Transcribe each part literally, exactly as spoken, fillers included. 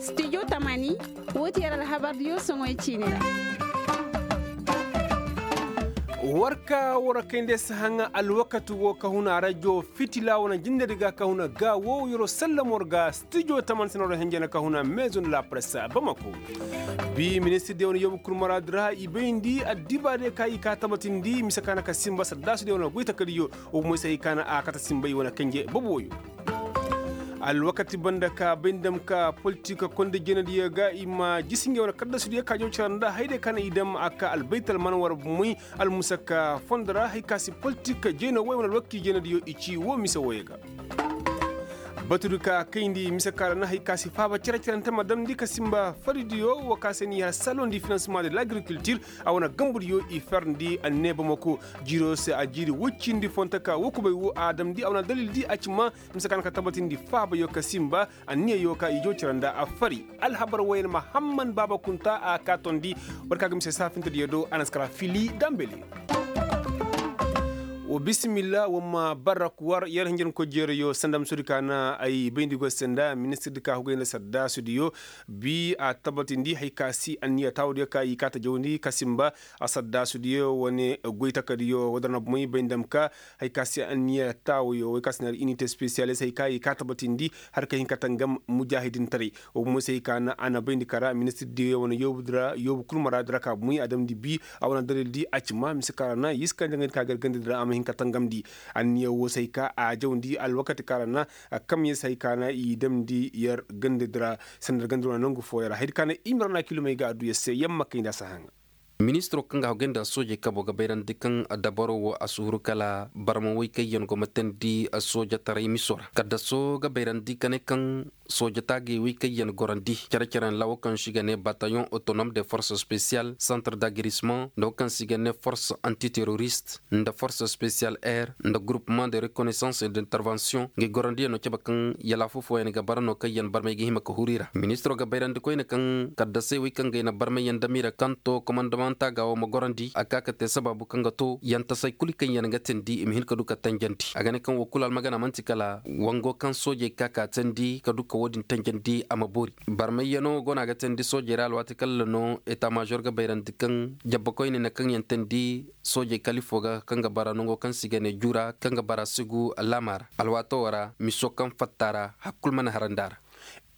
Studio tamani, woo ti yer alhabardiyo soŋoy ciini ra. War ka war kayndi si haŋa alwakati woo ka huna rajo fitila wane jindedi ga ka huna ga woo yeroo sallamo war ga. Studio tamani sina war henjena ka huna maison de la presse bamako. Bi ministirdiyo wane yoobu kul maraadi ra i bayndi addibaadiyo ka i ka tabatindi mise ka na ka simba saddaasudiyo wane goy takadiyo. Wo moy se hay ka na a kate simbay wane kanje bobo wooyo. Alwakati banda ka bay ni dam ka politik konda jeenadiyo ga i ma jisi ngey wane kaddasudiyo ka jaw cara nda hayday ka na i dam a ka albaytal mana war moy almusaka fondo ra hay ka si politik jeena woy wane alwakati jeenadiyo i ci wo mise wooyo ga. Batudi ka kayndi mise ka ra na hay ka si faaba cere-cerente ma damndi ka simba faridiyo wo ka se ni har salon di finansement de l'agriculture. A wane gambudiyo i ferndi anneeba mako jiiro se a jiiri woy cindi fonto ka wo kubay wo a damndi a wane dalildi a ci ma mise ka na ka tabatindi faabayo ka simba anniyayo ka i jaw cere nda a fari. Alhabar woyne mahamman baaba kunta a ka tondi. War ka ga mise saafintediyo do a na si kara fili dambeli. Wa bisimilla wa ma barrak war yer hinjankoy jeerayo sanda musudi ka na ay bayndi goy se nda ministirdi ka hugay nda saddaasudiyo. Bi a tabatindi hay ka si anniya taawudiyo ka i kaata jawndi ka simba. A saddaasudiyo wane goy takadiyo wadar na bumay bay nda ma ka hay ka si anniya taawuyo way ka si na inite spesiyalist hay ka i kaata batindi har ka hin ka tangam mujaahidintaray. Wa bumay se hay ka na a na bayndi kara ministirdiyo wane yoobu kul maraadi ra ka bumay a damndi bi a wane dalildi a ci ma mise ka ra na yii si ka nda ngey di ka gar gandadi ra a ma hin ka tangamndi. Anniya woo se hay ka a jawndi alwakati ka ra na a kamyey se hay ka na i damndi yer gandadi ra. Sanda gandadi ra wane nangu fooyaŋ ra hayadi ka na i ma ra na kilomey ga adduya se yamma kayndi a si haŋa. Ministiroo kaŋ ga hagay nda soojey kabo ga bayrandi kaŋ dabaro woo a si huru kala barma woy kaŋ yaŋ go ma teendi soojataray miso ra kaddasoo ga bayrandi ka ne kaŋ sooja taagay woy kaŋ yaŋ gorandi care-caren ra woo kaŋ se i ga ne batayon otonome de forse spesiyal santre d'agrisement nda woo kaŋ se i ga ne forse antiterorist nda forse spesiyal air nda gurupement de rekonesans et d'intervention ngey gorandiyaŋ no cabe kaŋ yalaafu fooyaŋ ga bara no kaŋ yaŋ barmey ga hima ka huru i ra ministiroo ga bayrandi koyne kaŋ kaddasey wey kaŋ ga ay na barmay yaŋ dam i ra kaŋ to komandamanta ga wo ma gorandi a ka ka te sabaabu kaŋ ga to yantasey kulu kaŋ yaŋ ga teendi i ma hin ka du ka tanjandi a ga ne kaŋ wo kulu almagana man'ti kala wango kaŋ soojey ka ka teendi ka du ka wo-din tanjandi a ma boori barmay yaŋo go no a ga teendi soojey ra alwaati kala no eta maazor ga bayrandi kaŋ jabba koyne na kaŋ yaŋ teendi soojey kala ifo ga kaŋ ga bara nango kaŋ se i ga ne jura kaŋ ga bara sigu laama ra alwaato wo ra miso kaŋ fatta ra hari kulu mana harandi a ra.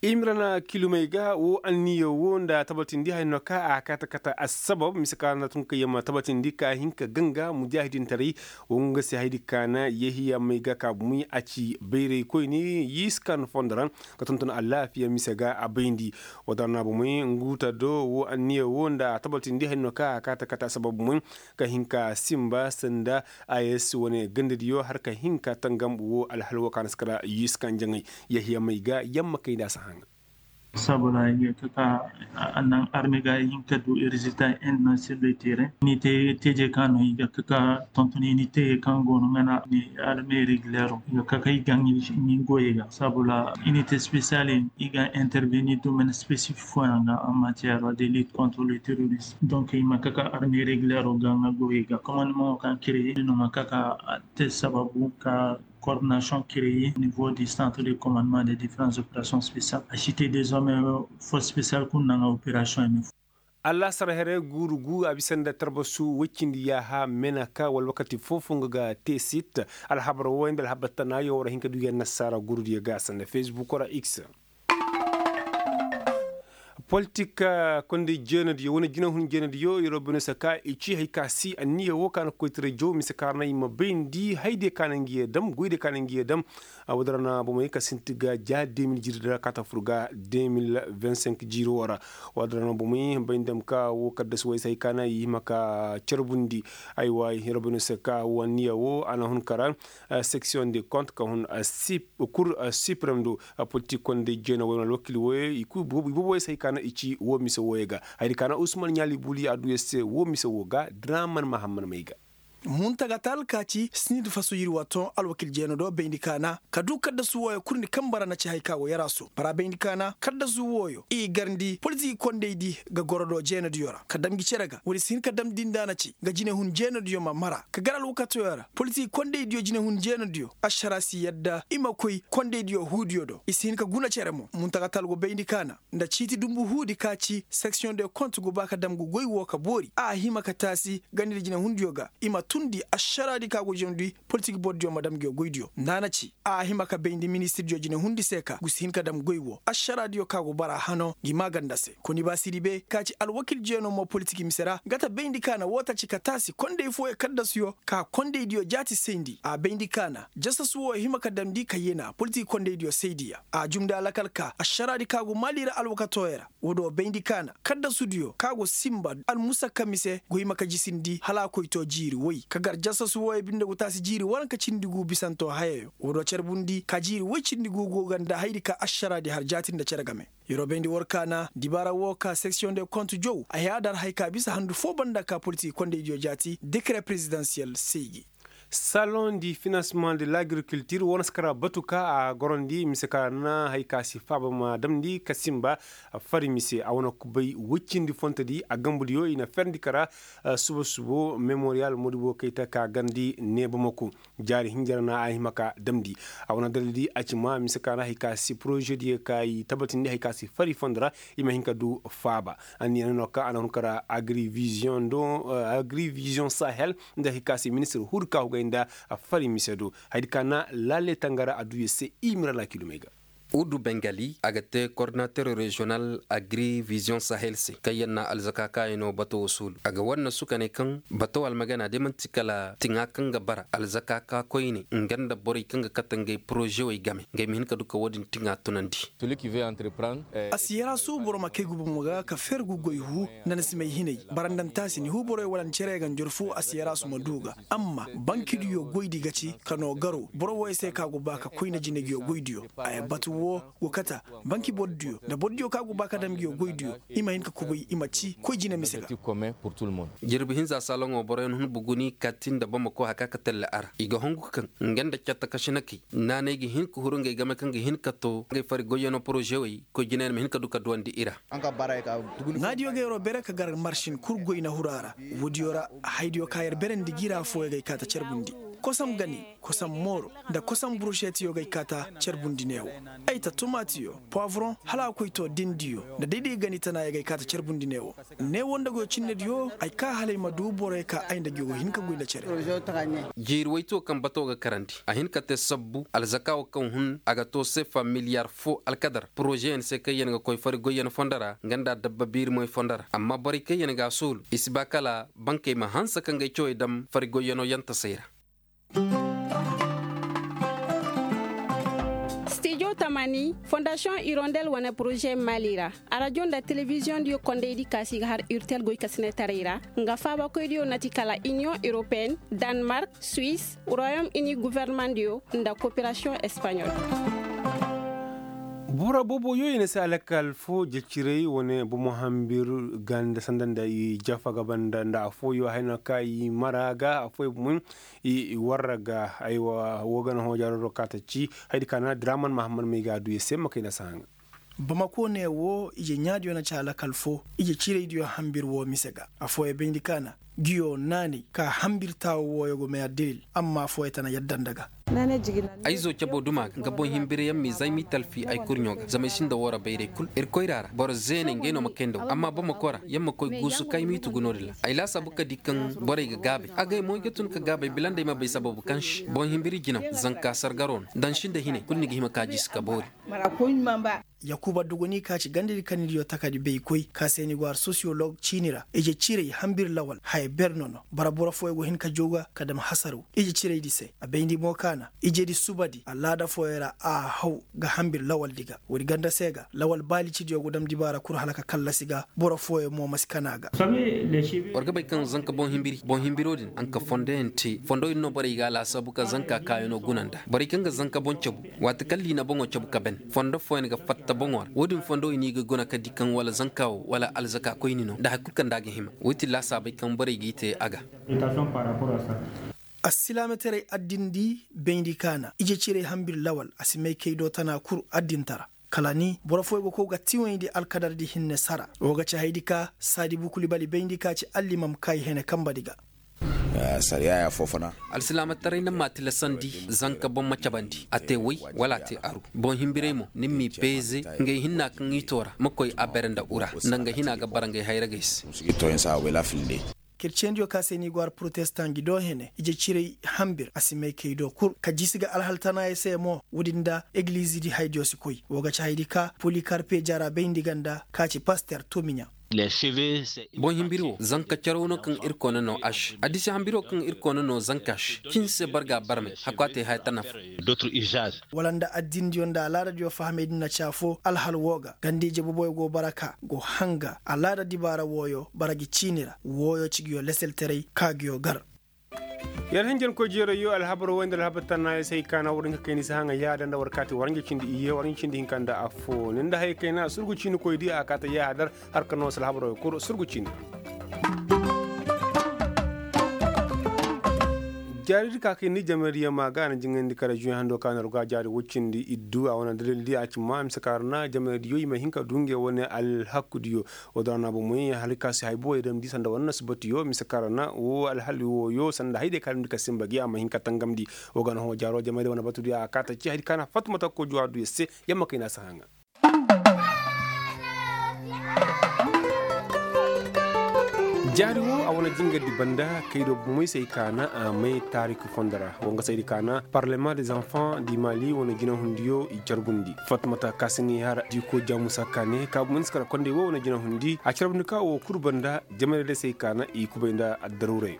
Imrana kilumey ga wo anniya wo nda tabatindi haya no ka a kaata kata assabab mise ka na tun ka yamma tabatindi ka hin ka ganga mujaahidintaray. Wo nga se haydi ka na yehiya may ga ka bumey a ci bayray koyne yii si ka na fondo ra ka tonton alaafiya mise ga a bayndi. Wadar na bumey nguuta do wo anniya wo nda tabatindi haya no ka a kaata kata assabab bumey ka hin ka simba sanda a s wane gandadiyo har ka hin ka tangam wo alhal wo ka na si kara yii si ka njaŋay. Yahiya may ga yamma kay nda a si haŋa. Sabula i ga kaka a naŋ arme ga i hin ka du rezilta en na sirri tere ni te teje ka no i ga kaka tontoni ni te kan go no ngana ni arme regulero i ga kaka i ga ni goye ga sabula inite spesiyal i ga intervenir domaine spesifik fooyaŋ ga en matière de lutte contre le terrorisme donc i ma kaka arme regulero ga nga goye ga commandement kan créer no ma kaka te sababu ka coordination créer au niveau du centre de commandement des différentes opérations spéciales a cité des hommes force spéciale kun naŋ opération emi. Allasar here guuru gu a bisa nda tarbasu woy cindi yaaha menaka wala wakati foo-foo nga ga te sit. Alhabar wooyaŋ nda alhabar tanaayo war a hin ka du yaŋ nasaara guurudiyo ga a sanda facebook ra x. Politik konda jeenadiyo wane jinahun jeenadiyo yeroo bine se ka i ci hari ka si anniya woo ka na koytaray jaw mise ka ra na i ma bayndi haydiyo ka na nga yee dam goydiyo ka na nga yee dam. Woodi ra na bomey ka sinti ga ja de mil jiiri da kaata fur ga de mil vingt-cinq jiiri woo ra. Woodi ra na bomey bay nda ma ka woo kaddasu way se hari ka na i hima ka carbundi. Aywa yeroo bine se ka woo anniya woo a na hun kara section de compte ka hun kur suprem do. Politik konda jeena woy wane alwakil woy i kul i boobo woy se hari ka na i ci woo mise wooyo ga. Hayadi ka na usman ɲaali buli a du yer se woo mise woo ga draman mahamman may ga. Muntagatal ka ci sinid faso yirwa ton alwakil jeenado bayndi kaana ka du kaddasu wooyo kurndi kaŋ bara na ci hari ka go yaraaso bara bayndi kaana kaddasu wooyo i garndi politiki kondaydi ga goro do jeenadiyo ra ka dam gi cere ga woodi si hin ka damndi nda na ci ga jinehun jeenadiyo ma mara ka gar alwakatoyo ra politiki kondaydiyo jinehun jeenadiyo ašara si yadda i ma koy kondaydiyo huudiyo do i si hin ka guna cere mo muntagatal go bayndi kaana nda ciiti dumbu huudi ka ci seksiyoŋ de kont go ba ka dam ga goy wo ka boori a hima ka taasi ganda jinehundiyo ga i ma tundi ašaraadi ka go jawndi politik bordiyo ma dam nguyo goydiyo nda a na ci a hima ka bayndi ministirdiyo jinehundi se ka gu si hin ka dam goy wo ašaraadiyo ka go bara hano ngi maaganda se koni ba siribe ka ci alwakil jeenoo mo politik mise ra nga ta bayndi ka na woo ta ci ka taasi konday fooyo kaddasuyo ka kondaydiyo jaati sayndi a bayndi ka na jasasu wooyo hima ka damndi ka yena politik kondaydiyo sayndi ya a jumndi alakal ka ašaraadi ka go maali ra alwakatooyo ra woodi wo bayndi kaana kaddasudiyo ka go sinba almusakka mise go hima ka jisindi hala a koy to jiiri woy ka gar jasasu wooyo binde go taasi jiiri waranka cindi gu bisanto hayayo woodi wo carbundi ka jiiri woy cindi gu go ga nda hayadi ka ašaraadi har jaati nda cere game yer wo bayndi war kaana dibaara woo ka seksiyoŋ de kont jow a haya dar hay ka bisa handu foo banda ka politik kondaydiyo jaati dekere perezidansiyel saygi. Saloŋ di finansemaŋ de lagrikultir wane si kara batu ka a gorandi mise ka na hari ka si faaba ma damndi ka sinba fari mise a wane kubay woy cindi fontodi a gambudiyo i na ferndi kara suba subo memoriyal modibo kayta ka garndi ne bamako jaari hinjara na a hima ka damndi a wane dalildi a ci ma mise ka na hari ka si porožediyo ka i tabatindi hari ka si fari fondo ra i ma hin ka du faaba anniya no ka a na hun kara agrivizion do agrivizion sahel nda hari ka se ministir huudi ka hugay nda fari mise do hayadi ka na laale tangara a du yer se i mira laakilumey ga. Udu bengali a ga te kordinater reziyonal agri vizion sahel se kaŋ yer na alzaka kaayano bato wo suulu a ga war na sukaney kaŋ bato almagana day man'ti kala tiŋa kaŋ ga bara alzaka ka koyne nga nda borey kaŋ ga kate ngey porozewey game ngey ma hin ka du ka wo-din tiŋa tunandi. A si yarasu boro ma kay guba mo ga ka fergu goy hu nda ni si may hinay barandantaasi ni hu borey wala ni cere ga njor fo a si yarasu ma du ga amma bankidiyo goydi ga ci ka no garo boro woy se ka go ba ka koyne jinaygiyo goydiyo ay batu wo go kata banki bordiyo nda bordiyo ka go ba ka dam giyo goydiyo i ma hin ka kubay i ma ci koy jine mise ga. Jirbi hinza saloŋo boroyaŋ hun buguni kati nda bamako haka ka telle a ra i ga hongu kaŋ nga nda catta kasinakey naanay ga hin ka huru ngey game kaŋ ga hin ka to ngey fari goyyano porozewey koy jinayaŋ ma hin ka du ka duwandi i ra. Naadiyo ga yeroo bere ka gar marsin kul goy na huru a ra. Woodiyo ra haydiyo ka yer berandi gi ra fooyo gay kaata carbundi kosam gani kosam mooro nda kosam burušetiyo gay kaata carbundi neewo ay ta tumaatiyo poivoron hala a koy to dindiyo nda dayday gani tana ya gay kaata carbundi neewo. Neewo nda goyo cinnediyo ay ka hala ay ma du boroyo ka ay nda gi go hin ka goy nda cere. Jiiri wayto kaŋ bato ga karandi a hin ka te sabbu alzaka wo kaŋ hun a ga to sefa miliyar fo alkadar porozeyaŋ se kaŋ yaŋ ga koy fari goyyaŋ fondo ra nga nda dabba biiri moy fondo ra amma borey kaŋ yaŋ ga a soolu i si ba kala bankey ma hanse ka ngey cawey dam fari goyyaŋo yaŋ tasey ra. Stijo tamani fondasiyoŋ irondel wane poroze maali ra arajo nda telebiziyoŋ diyo kondaydi kaasi ga har urtel goy ka sinetaray ra nga faabakoydiyo na ti kala iniyoŋ europeen, danmark, suis, royom ini guvernemandiyo nda koperasiyoŋ espanyol. Boro boobo yo i na se alakal fo jeciray wane bomo hambir ganda sanda nda i jafa ga banda nda afooyo hayno ka i mara ga afooyo bomo i warra ga aywa wo gana hoojaroro ka ta ci haydi ka na draman mahammad may ga du i se ma kay na sahaŋ. Bamako ne wo ije ɲaadiyo na ci alakal fo ije ciraydiyo hambir wo mise ga afooyo bayndi ka na giyo naanay ka hambir taawo wooyo go may addalil amma fooyo tana yadda nda ga. Ay zo cabo duma ga nga boŋ himbiriyaŋ m'i zay m'i talfi ay kurɲo ga zama ay sinda woora bayray kul irkoy ra ra boro zeeney ngey no ma kay nda wo amma bamako ra yaŋ ma koy guusu ka ay m'i tugu no-din ra ay laasaabu ka di kaŋ borey ga gaabay agay mo ay ga tun ka gaabay bila nda ay ma bay sababu kaŋ se boŋ himbiri jinaw zanka sargaro no daŋ sinda hinay kulu ni ga hima ka jiisi ka boori. Yakuba duguni ka ci gandadi kannidiyo takadi bay koy ka se ni go har sosiyolog ciini ra ije ciray hambir lawal haya ber nono bara boro fooyo go hin ka jow ga ka dam hasaraw ije ciraydi se a bayndi mo ka na ijedi subadi alaada fooyo ra a haw ga hambir lawaldi ga woodi ganda se ga lawal baalicidiyo go dam dibaara kul hala ka kallasi ga boro fooyo mo ma si kana ga. War ga bay kaŋ zanka boŋ himbiri boŋ himbiro din a nka fondo yaŋ te fondo din no borey ga a laasaabu ka zanka kaayano guna nda borey kaŋ ga zanka boŋ cabu waati kaŋ liina boŋo cabu ka ban Fondo fooyaŋ ga fatta boŋo ra, wo-din fondo i n'i ga guna ka di kaŋ wala zanka wo wala alzaka koyni no nda hari kulu kaŋ nda a ga hima. Wo ti laasaabey kaŋ borey g'i te a ga. Assilaamataray addindi bayndi kaana ije cirey hambir lawal a si may kay do tana kul addintara. Kala ni boro fooyaŋ go kow ga tiwayndi alkadardi hinne sara. Wo ga ci haydi ka saadi bukuli bali bayndi ka ci allimam kay hene kambadi ga. Alsilaamataray na ma tilasandi zanka boŋ ma cabandi a te way wala a te aru. Boŋ himbirey mo ni m'i peeze ngey hinna kaŋ i toora ma koy a bere nda ura nda nga hina ga bara ngey hayragey se. Kerciyandiyo ka se ni go har protestan gi do hene ije cirey hambir a si may kay do kul ka jisi ga alhal tanaayey se mo woodin nda egiliizidi haydiyo si koy. Wo ga ci haydi ka polikarpe jara bayndi ganda ka ci paster tomiɲa. Boŋ himbiri wo zanka caraw no kaŋ irkoy na no a se addisi hambiro kaŋ irkoy na no zanka se cin se barga barmey hakku a te haya tana fo. Wala nda addindiyo nda alaadadiyo fahamey din na ci afo alhal woo ga ganda ije boboyo go bara ka go hanga alaada dibaara wooyo bara gi ciini ra wooyo ci nguyo leseltaray ka nguyo gar. Yer hinjankoy jeerayyo alhabar wayndi alhabar tannaayey se ay kaana war hinka kayna i si haŋa yaada nda war kaati war hinja cindi iyye war hinja cindi hinka nda affo ni nda hayey kayna surgu ciinikoydi a kaata yaadar. Har ka no si alhabaroo kul surgu ciini. Jaaridi ka kay ni jamaydi yamma ga a na jiŋandi ka reziyoŋ hando ka na ruga jaari woy cindi iddu a wane dalildi a ci ma mise ka ra na jamaydiyo i ma hin ka du ngey wane alhakudiyo. Woo da ra na bomoy hari ka si hay boboy damndi sanda wane nasibatiyo mise ka ra na woo alhali wooyo sanda haydiyo ka damndi ka sinba gi a ma hin ka tangamndi. Woo ga na hõ jaaroo jamaydiyo wane batudiyo a kaata ci haydi ka na fattumata koy juwaaduyo se. Yamma kay na si haŋa. Jaari woo a wane jingardi banda kay do bomoy se ay kaana a may taariki fondo ra woo nga se ay di kaana parlement des enfants di mali wane jinahundiyo i carbundi fattumata ka si ni har diiko jaamusa kaane ka bomoy ni si kara kondey woo wane jinahundi a carbundi ka woo kul banda. Jamayra day se ay kaana i kubay nda addaruuray.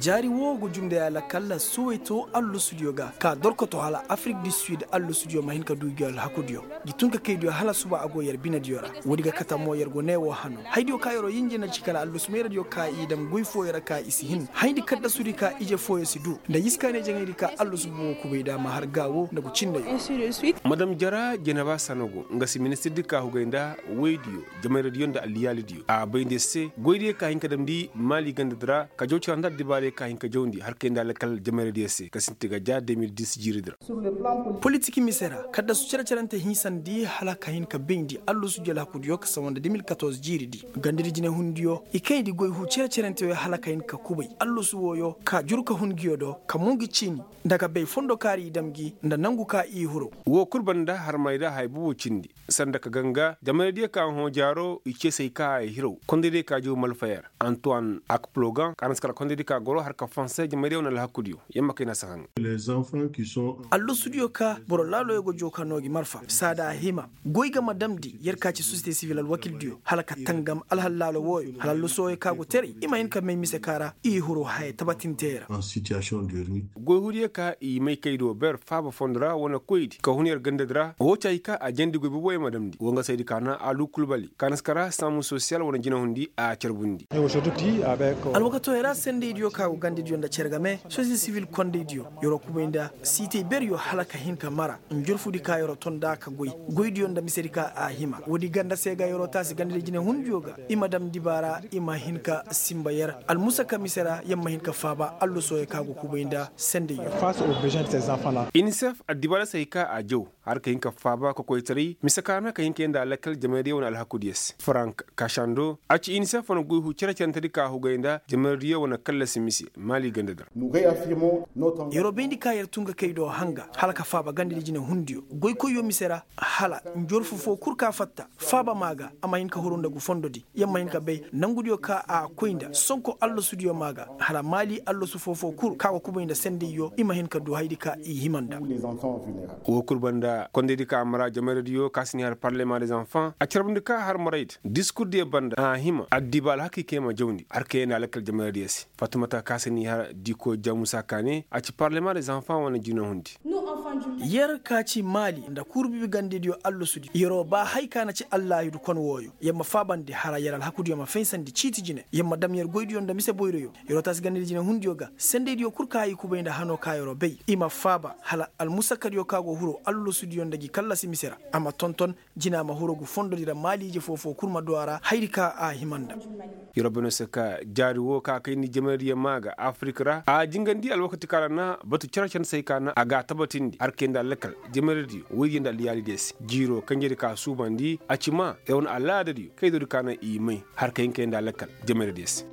Jaari woo go jumnday alakalla suway to allusudiyo ga ka dorkoto hala afirik di sid allusudiyo ma hin ka du gi alhakudiyo. Gi tun ka kaydiyo hala suba a go yer binediyo ra. Woodi ga kate mo yer go ne woo hano haydiyo ka yeroo yinjina ci kala allusu meeradiyo ka i dam goy fooyo ra ka i si hin hayndi kaddasudi ka ije fooyo si du nda yiskaaney jaŋaydi ka allusu bumo kubay da ma har gaawo nda go cindayo. Madam jara jeneba sanogo nga si ministirdi ka hugay nda woydiyo jamayradiyo nda alliyaalidiyo a bay nda yer se goydiyo ka hin ka damndi maali gandadi ra ka jaw cara nda addibaarey ka hin ka jawndi har kay nda alkal jamayradiyo se ka sinti ga ja de mil dis jiiridi ra. Politik mise ra kaddasu cere-cerente hinsandi hala ka hin ka bayndi allusu jel hakudiyo ka sawa nda de mil katorze jiiridi gandadi jinehundiyo i kayndi goy huu cere-cerente wey hala ka hin ka kubay allusu wooyo ka jur ka hun nguyo do ka mun gi ciini nda ka bay fondo kaari i dam gi nda nangu ka i huru. Woo kul banda harmayda haya bobo cindi sanda ka ganga jamaydiyo ka hõ jaaro i ceesay ka a hiraw kondaydiyo ka jaw malfayer antoine akplogan ka na si kala kondaydiyo ka goro har ka fonse jamaydiyo wane alhakudiyo yamma kay na si haŋ. Allusudiyo ka boro laaloyo go joo ka noo gi marfa saada a hima goy ga ma damndi yer ka ci sosiyete sivil alwakildiyo hala ka tangam alhal laalo wooyo hala allusuwooyo ka go teray i ma hin ka may mise ka ra i huru haya tabatintey ra. Goy huudiyo ka i may kaydo ber faaba fondo ra wane koydi ka hun yer gandadi ra woo ci hay ka a jandi goy boboyo ma damndi woo nga saydi ka na alu kulbali ka na si kara saamu sosiyal wane jinahundi a carbundi. Alwakatooyo ra sendaydiyo ka go gandadiyo nda cere game sosiyete sivil kondaydiyo yeroo kubay nda siitey beryo hala ka hin ka mara njurfudi ka yeroo ton nda ka goy goydiyo nda misedi ka a hima woodi ganda se ga yeroo taasi gandadi jinehundiyo ga i ma dam dibaara i ma hin ka sinba yer almusaka mise ra yer ma hin ka faaba allusooyo ka go kubay nda sendayyo. Inisef addibaara se hay ka a jaw har ka hin ka faaba kokoytaray mise ka na ka hin ka yee nda alakal jamaydiyo wane alhakudiyo se frank kashando a ci inisef wane goy huu cere-cerentedi ka hugay nda jamaydiyo wane kallasi mise maali gandadi ra. Yeroo bayndi ka yer tun ga kay do hanga hala ka faaba gandadi jinehundiyo goykoyyo mise ra hala njorfu foo kul ka fatta faaba maa ga a ma hin ka huru nda ngu fondodi yer ma hin ka bay nangudiyo ka a koy nda sonko allasudiyo maa ga hala maali allasu foo-foo kul ka go kubay nda sendayyo i ma hin ka du hayadi ka i hima nda. Woo kul banda kondaydi ka a mara jamayradiyo ka si ni har parlema des enfants a carbundi ka har maraydi diskurdiyo banda a hima addiba alhakikey. ma jawndi har ka yee nda lakkal jamaradiyo se. Fatumata ka se n'i har diko jamusa ka ne a ci parlema de zanfan wane jina hundi. Yer ka ci maali nda kuuru bibigandidiyo allosudiyo yer'o ba hay ka na ci allaahidu kon wooyo yer ma faabandi hara yer alhakudiyo ma faysandi ciiti jine yer ma dam yer goydiyo nda mise boyroyo. Yer'o taasi gandadi jine hundiyo ga sendaydiyo kul ka i kubay nda hanoo ka yer'o bay i ma faaba hala almusakadiyo ka go huru allosudiyo nda gi kallasi mise ra a ma tonton jina ma huru ngu fondodi ra maaliije foo-foo kul ma du a ra hayri ka a hima nda. Yer'o bay no se ka jaari woo ka kayndi jamaradiyo maa ga afirik ra a jingandi alwakati ka ra na batu cere cere se ay ka na a ga a tabatindi har kay nda lakkal jamaradiyo woydiyo nda alyaalidiyo se jiiroo kanjedi ka suubandi a ci maa yer wane alaadadiyo kaydodi ka na i may har kay hin kay nda lakkal jamaradiyo se.